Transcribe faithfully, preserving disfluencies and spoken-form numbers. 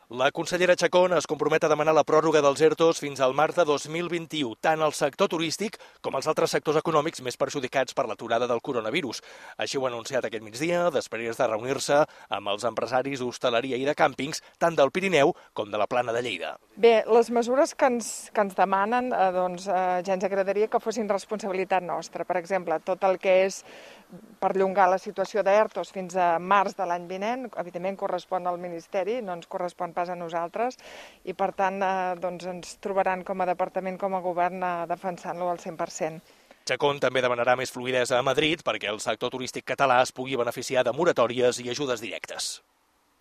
La consellera Chacón es compromet a demanar la pròrroga dels ERTOs fins al març de dos mil vint-i-u, tant al sector turístic com als altres sectors econòmics més perjudicats per l'aturada del coronavirus. Així ho ha anunciat aquest migdia, després de reunir-se amb els empresaris d'hostaleria i de càmpings, tant del Pirineu com de la Plana de Lleida. Bé, les mesures que ens, que ens demanen, eh, doncs, eh, ja ens agradaria que fossin responsabilitat nostra. Per exemple, tot el que és perllongar la situació d'ERTOs fins a març de l'any vinent, evidentment correspon al Ministeri, no ens correspon pas a nosaltres, i per tant eh, doncs ens trobaran com a departament, com a govern, eh, defensant-lo al cent per cent. Chacón també demanarà més fluïdesa a Madrid perquè el sector turístic català es pugui beneficiar de moratòries i ajudes directes.